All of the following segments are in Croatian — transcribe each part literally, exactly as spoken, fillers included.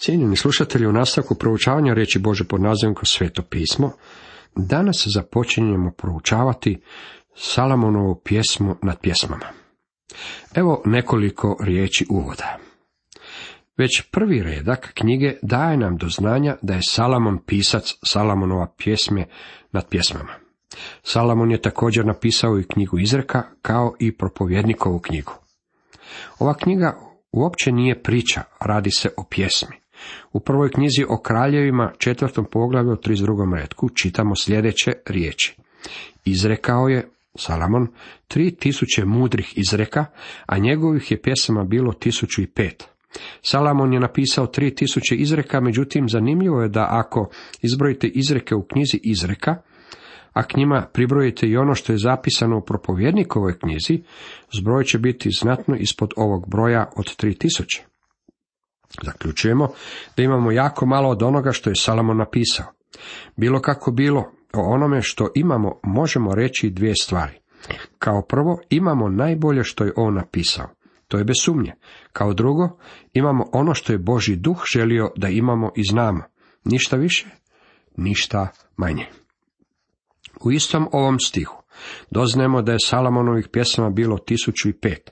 Cijenjeni slušatelji, u nastavku proučavanja riječi Bože pod nazivom kroz Sveto pismo, danas započinjemo proučavati Salamonovu pjesmu nad pjesmama. Evo nekoliko riječi uvoda. Već prvi redak knjige daje nam do znanja da je Salamon pisac Salamonova pjesme nad pjesmama. Salamon je također napisao i knjigu Izreka, kao i propovjednikovu knjigu. Ova knjiga uopće nije priča, radi se o pjesmi. U prvoj knjizi o kraljevima, četvrtom poglavlju, trideset drugom retku, čitamo sljedeće riječi. Izrekao je Salamon tri tisuće mudrih izreka, a njegovih je pjesama bilo tisuću i pet. Salamon je napisao tri tisuće izreka, međutim zanimljivo je da ako izbrojite izreke u knjizi Izreka, a k njima pribrojite i ono što je zapisano u propovjednikovoj knjizi, zbroj će biti znatno ispod ovog broja od tri tisuće. Zaključujemo da imamo jako malo od onoga što je Salamon napisao. Bilo kako bilo, o onome što imamo možemo reći dvije stvari. Kao prvo, imamo najbolje što je on napisao. To je bez sumnje. Kao drugo, imamo ono što je Božji duh želio da imamo i znamo. Ništa više, ništa manje. U istom ovom stihu doznajemo da je Salamonovih pjesama bilo tisuću i pet.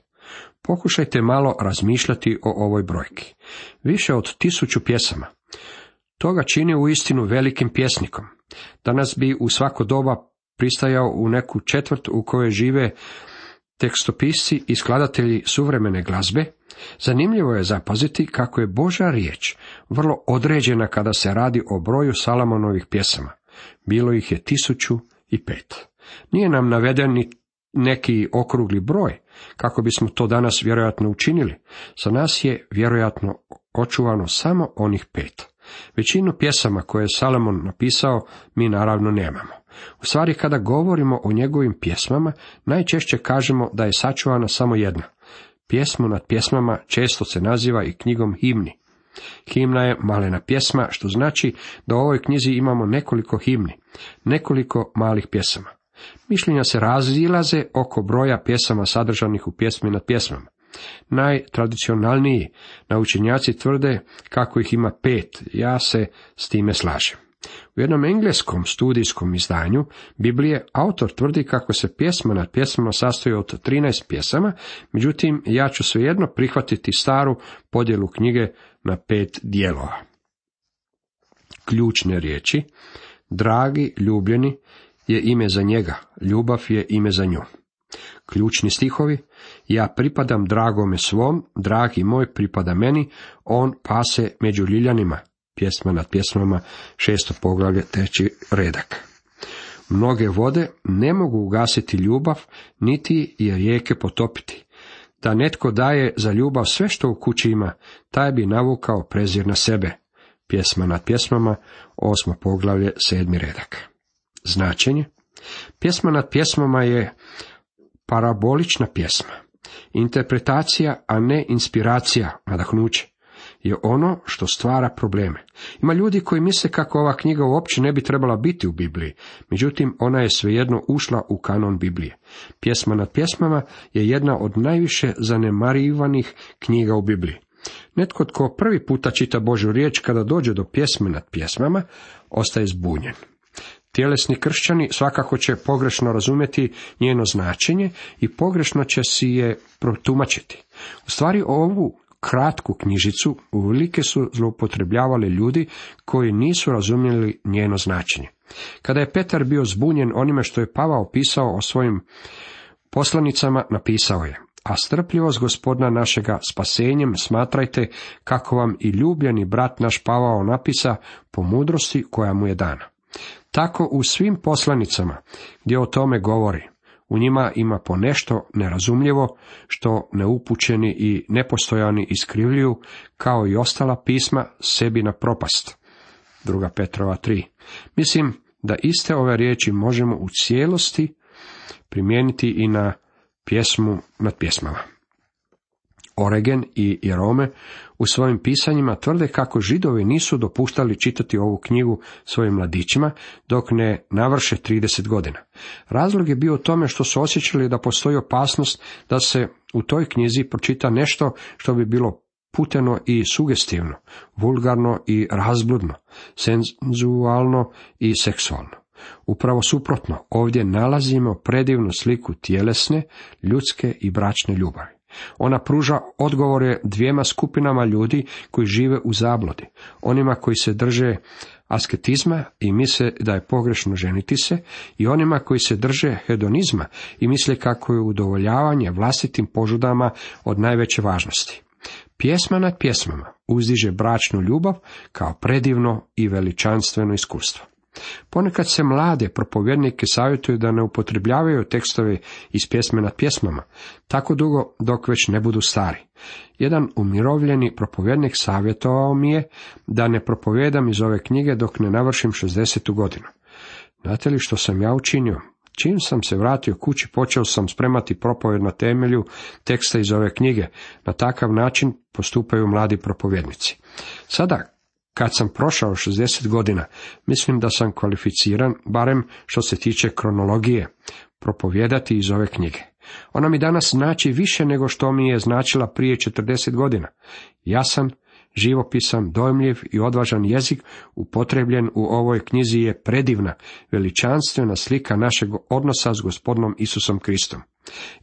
Pokušajte malo razmišljati o ovoj brojki. Više od tisuću pjesama. To ga čini u istinu velikim pjesnikom. Danas bi u svako doba pristajao u neku četvrt u kojoj žive tekstopisci i skladatelji suvremene glazbe. Zanimljivo je zapaziti kako je Božja riječ vrlo određena kada se radi o broju Salamonovih pjesama. Bilo ih je tisuću i pet. Nije nam naveden ni neki okrugli broj, kako bismo to danas vjerojatno učinili. Za nas je vjerojatno očuvano samo onih pet. Većinu pjesama koje je Salomon napisao mi naravno nemamo. U stvari, kada govorimo o njegovim pjesmama, najčešće kažemo da je sačuvana samo jedna. Pjesmu nad pjesmama često se naziva i knjigom himni. Himna je malena pjesma, što znači da u ovoj knjizi imamo nekoliko himni, nekoliko malih pjesama. Mišljenja se razilaze oko broja pjesama sadržanih u pjesmi nad pjesmama. Najtradicionalniji naučenjaci tvrde kako ih ima pet, ja se s time slažem. U jednom engleskom studijskom izdanju Biblije autor tvrdi kako se pjesma nad pjesmama sastoji od trinaest pjesama, međutim ja ću svejedno prihvatiti staru podjelu knjige na pet dijelova. Ključne riječi: dragi, ljubljeni je ime za njega, ljubav je ime za nju. Ključni stihovi: ja pripadam dragome svom, dragi moj pripada meni, on pase među ljiljanima. Pjesma nad pjesmama, šesto poglavlje, treći redak. Mnoge vode ne mogu ugasiti ljubav, niti je rijeke potopiti. Da netko daje za ljubav sve što u kući ima, taj bi navukao prezir na sebe. Pjesma nad pjesmama, osmo poglavlje, sedmi redak. Značenje: pjesma nad pjesmama je parabolična pjesma. Interpretacija, a ne inspiracija, nadahnuće, je ono što stvara probleme. Ima ljudi koji misle kako ova knjiga uopće ne bi trebala biti u Bibliji, međutim ona je svejedno ušla u kanon Biblije. Pjesma nad pjesmama je jedna od najviše zanemarivanih knjiga u Bibliji. Netko tko prvi puta čita Božju riječ, kada dođe do pjesme nad pjesmama, ostaje zbunjen. Tjelesni kršćani svakako će pogrešno razumjeti njeno značenje i pogrešno će si je protumačiti. U stvari ovu kratku knjižicu uvelike su zloupotrebljavali ljudi koji nisu razumjeli njeno značenje. Kada je Petar bio zbunjen onime što je Pavao pisao o svojim poslanicama, napisao je: a strpljivost Gospodina našega spasenjem smatrajte, kako vam i ljubljeni brat naš Pavao napisa, po mudrosti koja mu je dana. Tako u svim poslanicama gdje o tome govori, u njima ima ponešto nerazumljivo, što neupućeni i nepostojani iskrivljuju, kao i ostala pisma, sebi na propast. Druga Petrova tri. Mislim da iste ove riječi možemo u cijelosti primijeniti i na pjesmu nad pjesmama. Origen i Jerome u svojim pisanjima tvrde kako Židovi nisu dopuštali čitati ovu knjigu svojim mladićima dok ne navrše trideset godina. Razlog je bio u tome što su osjećali da postoji opasnost da se u toj knjizi pročita nešto što bi bilo puteno i sugestivno, vulgarno i razbludno, senzualno i seksualno. Upravo suprotno, ovdje nalazimo predivnu sliku tjelesne, ljudske i bračne ljubavi. Ona pruža odgovore dvijema skupinama ljudi koji žive u zabludi, onima koji se drže asketizma i misle da je pogrešno ženiti se, i onima koji se drže hedonizma i misle kako je udovoljavanje vlastitim požudama od najveće važnosti. Pjesma nad pjesmama uzdiže bračnu ljubav kao predivno i veličanstveno iskustvo. Ponekad se mlade propovjednike savjetuju da ne upotrebljavaju tekstove iz pjesme nad pjesmama, tako dugo dok već ne budu stari. Jedan umirovljeni propovjednik savjetovao mi je da ne propovijedam iz ove knjige dok ne navršim šezdesetu godinu. Znate li što sam ja učinio? Čim sam se vratio kući, počeo sam spremati propovjed na temelju teksta iz ove knjige. Na takav način postupaju mladi propovjednici. Sada, kad sam prošao šezdeset godina, mislim da sam kvalificiran, barem što se tiče kronologije, propovijedati iz ove knjige. Ona mi danas znači više nego što mi je značila prije četrdeset godina. Jasan, živopisan, dojmljiv i odvažan jezik upotrebljen u ovoj knjizi je predivna, veličanstvena slika našeg odnosa s Gospodinom Isusom Kristom.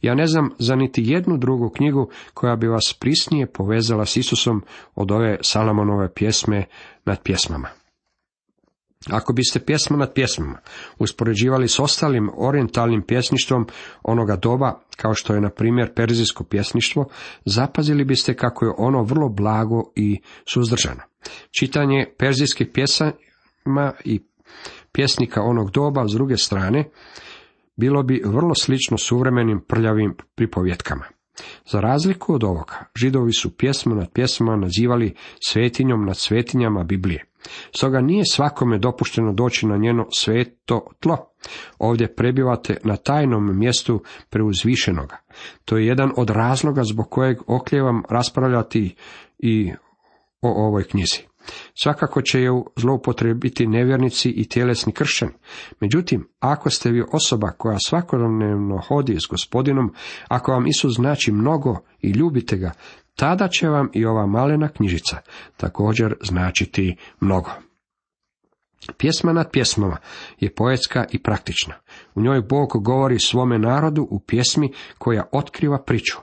Ja ne znam za niti jednu drugu knjigu koja bi vas prisnije povezala s Isusom od ove Salamonove pjesme nad pjesmama. Ako biste pjesma nad pjesmama uspoređivali s ostalim orijentalnim pjesništvom onoga doba, kao što je na primjer perzijsko pjesništvo, zapazili biste kako je ono vrlo blago i suzdržano. Čitanje perzijskih pjesama i pjesnika onog doba s druge strane bilo bi vrlo slično suvremenim prljavim pripovjetkama. Za razliku od ovoga, Židovi su pjesmu nad pjesmama nazivali svetinjom nad svetinjama Biblije. Stoga nije svakome dopušteno doći na njeno sveto tlo. Ovdje prebivate na tajnom mjestu preuzvišenoga. To je jedan od razloga zbog kojeg okljevam raspravljati i o ovoj knjizi. Svakako će ju zloupotrebiti nevjernici i tjelesni kršćani. Međutim, ako ste vi osoba koja svakodnevno hodi s Gospodinom, ako vam Isus znači mnogo i ljubite ga, tada će vam i ova malena knjižica također značiti mnogo. Pjesma nad pjesmama je poetska i praktična. U njoj Bog govori svome narodu u pjesmi koja otkriva priču.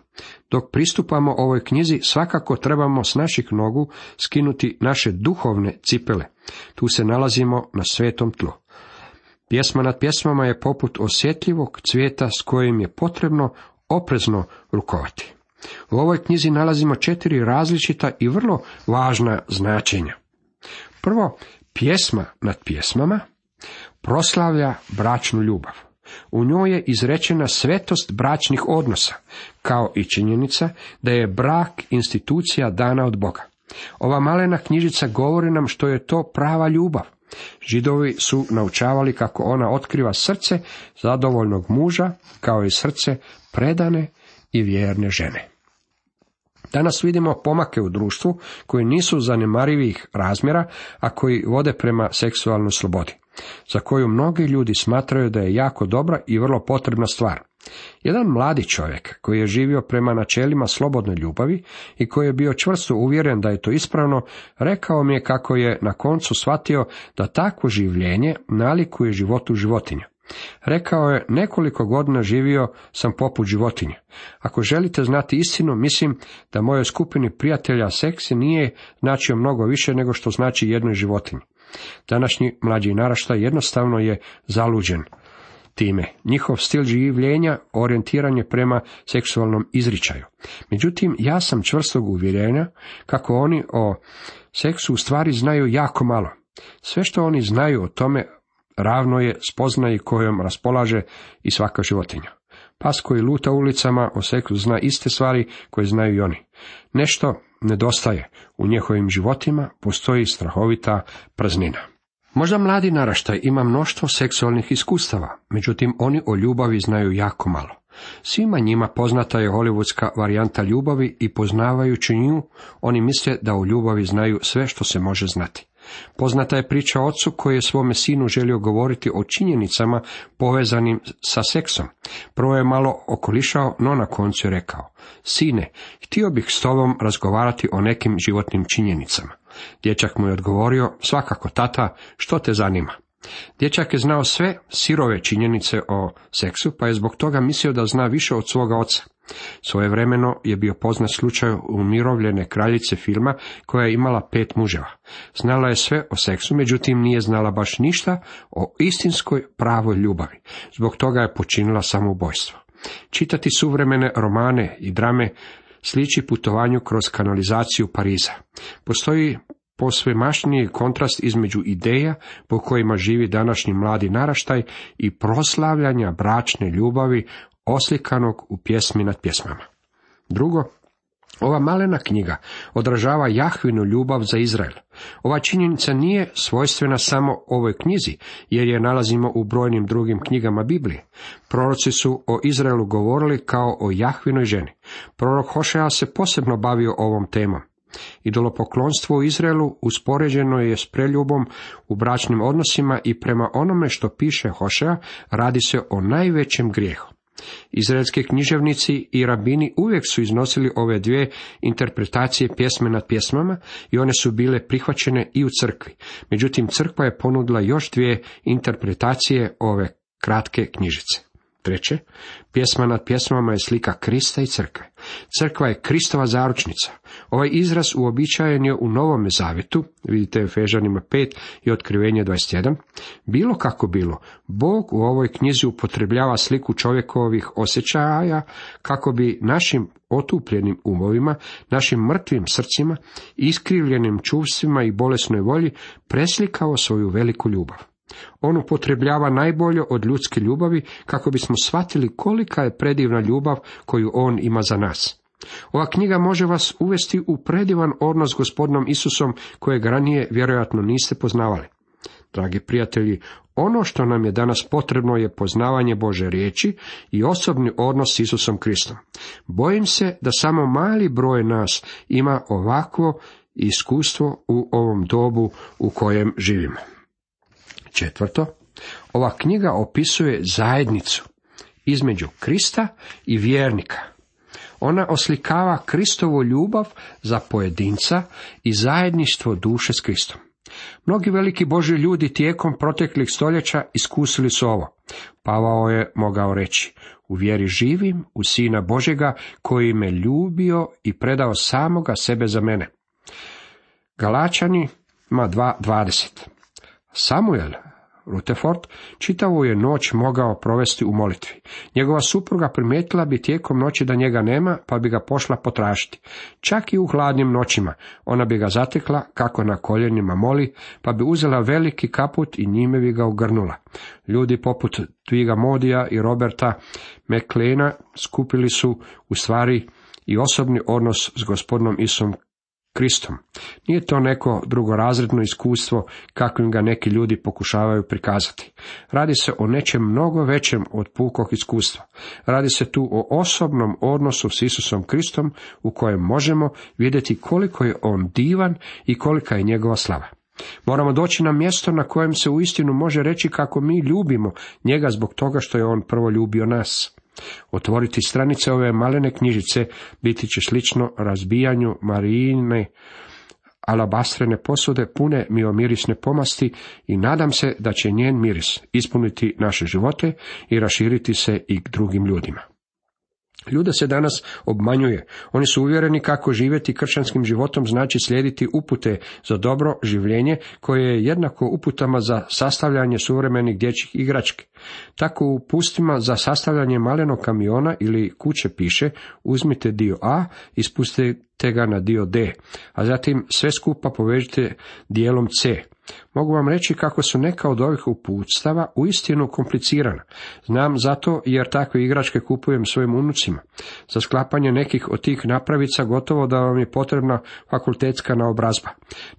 Dok pristupamo ovoj knjizi, svakako trebamo s naših nogu skinuti naše duhovne cipele. Tu se nalazimo na svetom tlu. Pjesma nad pjesmama je poput osjetljivog cvijeta s kojim je potrebno oprezno rukovati. U ovoj knjizi nalazimo četiri različita i vrlo važna značenja. Prvo, pjesma nad pjesmama proslavlja bračnu ljubav. U njoj je izrečena svetost bračnih odnosa, kao i činjenica da je brak institucija dana od Boga. Ova malena knjižica govori nam što je to prava ljubav. Židovi su naučavali kako ona otkriva srce zadovoljnog muža, kao i srce predane i vjerne žene. Danas vidimo pomake u društvu koji nisu zanemarivih razmjera, a koji vode prema seksualnoj slobodi, za koju mnogi ljudi smatraju da je jako dobra i vrlo potrebna stvar. Jedan mladi čovjek koji je živio prema načelima slobodne ljubavi i koji je bio čvrsto uvjeren da je to ispravno, rekao mi je kako je na koncu shvatio da takvo življenje nalikuje životu životinja. Rekao je, nekoliko godina živio sam poput životinje. Ako želite znati istinu, mislim da mojoj skupini prijatelja seks nije značio mnogo više nego što znači jednoj životinji. Današnji mlađi naraštaj jednostavno je zaluđen time. Njihov stil življenja orijentiran je prema seksualnom izričaju. Međutim, ja sam čvrstog uvjerenja kako oni o seksu u stvari znaju jako malo. Sve što oni znaju o tome ravno je spoznaji kojom raspolaže i svaka životinja. Pas koji luta ulicama o seksu zna iste stvari koje znaju i oni. Nešto nedostaje. U njihovim životima postoji strahovita praznina. Možda mladi naraštaj ima mnoštvo seksualnih iskustava, međutim oni o ljubavi znaju jako malo. Svima njima poznata je hollywoodska varijanta ljubavi i poznavajući nju, oni misle da o ljubavi znaju sve što se može znati. Poznata je priča o ocu koji je svome sinu želio govoriti o činjenicama povezanim sa seksom. Prvo je malo okolišao, no na koncu je rekao: sine, htio bih s tobom razgovarati o nekim životnim činjenicama. Dječak mu je odgovorio: svakako, tata, što te zanima? Dječak je znao sve sirove činjenice o seksu, pa je zbog toga mislio da zna više od svoga oca. Svojevremeno je bio poznat slučaj umirovljene kraljice filma koja je imala pet muževa. Znala je sve o seksu, međutim nije znala baš ništa o istinskoj pravoj ljubavi. Zbog toga je počinila samoubojstvo. Čitati suvremene romane i drame sliči putovanju kroz kanalizaciju Pariza. Postoji posvemašniji kontrast između ideja po kojima živi današnji mladi naraštaj i proslavljanja bračne ljubavi oslikanog u pjesmi nad pjesmama. Drugo, ova malena knjiga odražava Jahvinu ljubav za Izrael. Ova činjenica nije svojstvena samo ovoj knjizi, jer je nalazimo u brojnim drugim knjigama Biblije. Proroci su o Izraelu govorili kao o Jahvinoj ženi. Prorok Hošea se posebno bavio ovom temom. Idolopoklonstvo u Izraelu uspoređeno je s preljubom u bračnim odnosima i prema onome što piše Hošea radi se o najvećem grijehu. Izraelski književnici i rabini uvijek su iznosili ove dvije interpretacije pjesme nad pjesmama i one su bile prihvaćene i u crkvi. Međutim, crkva je ponudila još dvije interpretacije ove kratke knjižice. Treće, pjesma nad pjesmama je slika Krista i crkve. Crkva je Kristova zaručnica. Ovaj izraz uobičajen je u Novome zavjetu, vidite u Efežanima pet i Otkrivenje dvadeset jedan. Bilo kako bilo, Bog u ovoj knjizi upotrebljava sliku čovjekovih osjećaja kako bi našim otupljenim umovima, našim mrtvim srcima, iskrivljenim čuvstvima i bolesnoj volji preslikao svoju veliku ljubav. On upotrebljava najbolje od ljudske ljubavi kako bismo shvatili kolika je predivna ljubav koju on ima za nas. Ova knjiga može vas uvesti u predivan odnos s Gospodinom Isusom kojeg ranije vjerojatno niste poznavali. Dragi prijatelji, ono što nam je danas potrebno je poznavanje Božje riječi i osobni odnos s Isusom Kristom. Bojim se da samo mali broj nas ima ovakvo iskustvo u ovom dobu u kojem živimo. Četvrto, ova knjiga opisuje zajednicu između Krista i vjernika. Ona oslikava Kristovu ljubav za pojedinca i zajedništvo duše s Kristom. Mnogi veliki Božji ljudi tijekom proteklih stoljeća iskusili su ovo. Pavao je mogao reći: u vjeri živim u Sina Božjega koji me ljubio i predao samoga sebe za mene. Galačanima dva dvadeset. Samuel Rutherford čitavu je noć mogao provesti u molitvi. Njegova supruga primijetila bi tijekom noći da njega nema, pa bi ga pošla potražiti. Čak i u hladnim noćima ona bi ga zatekla kako na koljenima moli, pa bi uzela veliki kaput i njime bi ga ugrnula. Ljudi poput Twiga Modija i Roberta McLeana skupili su u stvari i osobni odnos s Gospodinom Isusom Kristom. Nije to neko drugorazredno iskustvo kakvim ga neki ljudi pokušavaju prikazati. Radi se o nečem mnogo većem od pukog iskustva. Radi se tu o osobnom odnosu s Isusom Kristom u kojem možemo vidjeti koliko je on divan i kolika je njegova slava. Moramo doći na mjesto na kojem se uistinu može reći kako mi ljubimo njega zbog toga što je on prvo ljubio nas. Otvoriti stranice ove malene knjižice biti će slično razbijanju Marijine alabastrene posude pune miomirisne pomasti i nadam se da će njen miris ispuniti naše živote i raširiti se i k drugim ljudima. Ljude se danas obmanjuje. Oni su uvjereni kako živjeti kršćanskim životom znači slijediti upute za dobro življenje koje je jednako uputama za sastavljanje suvremenih dječjih igrački. Tako u upustima za sastavljanje malenog kamiona ili kuće piše: uzmite dio A i spustite ga na dio D, a zatim sve skupa povežite dijelom C. Mogu vam reći kako su neka od ovih uputstava uistinu komplicirana. Znam zato jer takve igračke kupujem svojim unucima. Za sklapanje nekih od tih napravica gotovo da vam je potrebna fakultetska naobrazba.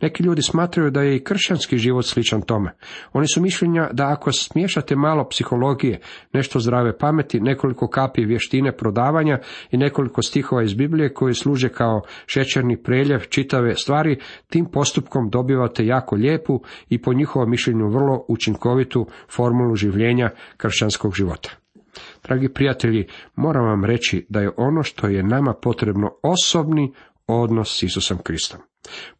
Neki ljudi smatraju da je i kršćanski život sličan tome. Oni su mišljenja da ako smiješate malo psihologije, nešto zdrave pameti, nekoliko kapi vještine prodavanja i nekoliko stihova iz Biblije koji služe kao šećerni preljev čitave stvari, tim postupkom dobivate jako lijepu i po njihovom mišljenju vrlo učinkovitu formulu življenja kršćanskog života. Dragi prijatelji, moram vam reći da je ono što je nama potrebno osobni odnos s Isusom Kristom.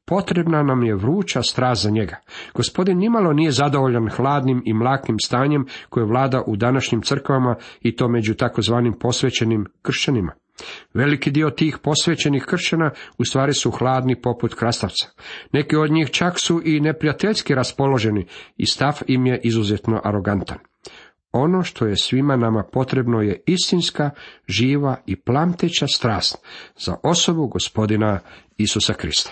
Potrebna nam je vruća strast za njega. Gospodin nimalo nije zadovoljan hladnim i mlakim stanjem koje vlada u današnjim crkvama i to među takozvanim posvećenim kršćanima. Veliki dio tih posvećenih kršćana u stvari su hladni poput krastavca. Neki od njih čak su i neprijateljski raspoloženi i stav im je izuzetno arogantan. Ono što je svima nama potrebno je istinska, živa i plamteća strast za osobu Gospodina Isusa Krista.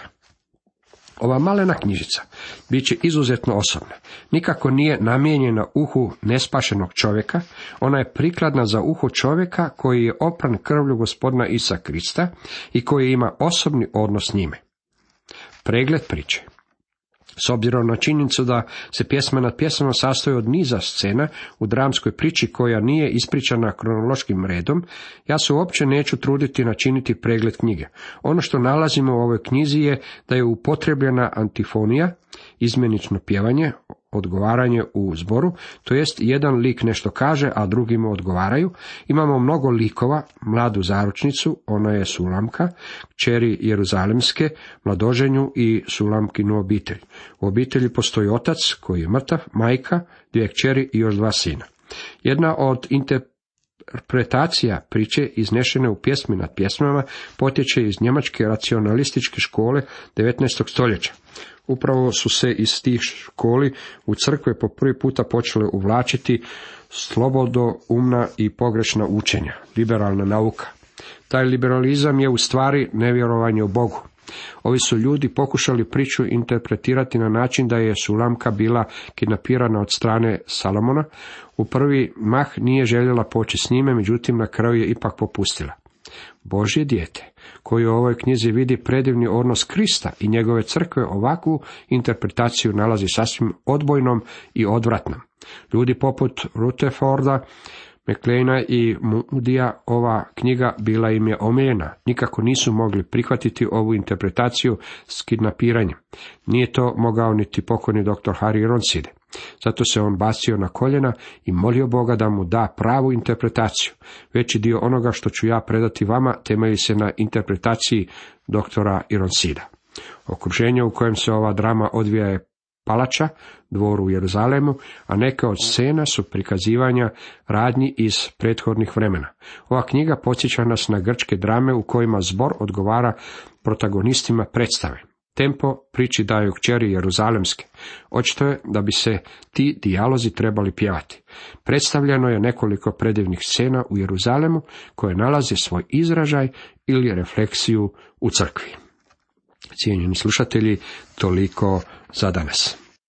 Ova malena knjižica bit će izuzetno osobna. Nikako nije namijenjena uhu nespašenog čovjeka, ona je prikladna za uho čovjeka koji je opran krvlju Gospodina Isusa Krista i koji ima osobni odnos s njime. Pregled priče. S obzirom na činjenicu da se pjesma nad pjesmama sastoji od niza scena u dramskoj priči koja nije ispričana kronološkim redom, ja se uopće neću truditi načiniti pregled knjige. Ono što nalazimo u ovoj knjizi je da je upotrebljena antifonija, izmjenično pjevanje, odgovaranje u zboru, to jest jedan lik nešto kaže, a drugi mu odgovaraju. Imamo mnogo likova, mladu zaručnicu, ona je Sulamka, kćeri Jeruzalemske, mladoženju i Sulamkinu obitelj. U obitelji postoji otac koji je mrtav, majka, dvije kćeri i još dva sina. Jedna od interpretacija priče iznešene u pjesmi nad pjesmama potječe iz njemačke racionalističke škole devetnaestog stoljeća. Upravo su se iz tih školi u crkve po prvi puta počele uvlačiti slobodoumna i pogrešna učenja, liberalna nauka. Taj liberalizam je u stvari nevjerovanje u Bogu. Ovi su ljudi pokušali priču interpretirati na način da je Sulamka bila kidnapirana od strane Salomona. U prvi mah nije željela poći s njime, međutim na kraju je ipak popustila. Božje dijete, koji u ovoj knjizi vidi predivni odnos Krista i njegove crkve, ovakvu interpretaciju nalazi sasvim odbojnom i odvratnom. Ljudi poput Rutherforda, McLeana i Moodyja ova knjiga bila im je omiljena. Nikako nisu mogli prihvatiti ovu interpretaciju s kidnapiranjem. Nije to mogao niti pokojni doktor Harry Ironside. Zato se on bacio na koljena i molio Boga da mu da pravu interpretaciju. Veći dio onoga što ću ja predati vama temelji se na interpretaciji doktora Ironsida. Okruženje u kojem se ova drama odvija je palača, dvor u Jeruzalemu, a neke od scena su prikazivanja radnji iz prethodnih vremena. Ova knjiga podsjeća nas na grčke drame u kojima zbor odgovara protagonistima predstave. Tempo priči daju kćeri Jeruzalemske. Očito je da bi se ti dijalozi trebali pjevati. Predstavljeno je nekoliko predivnih scena u Jeruzalemu koje nalaze svoj izražaj ili refleksiju u crkvi. Cijenjeni slušatelji, toliko za danas.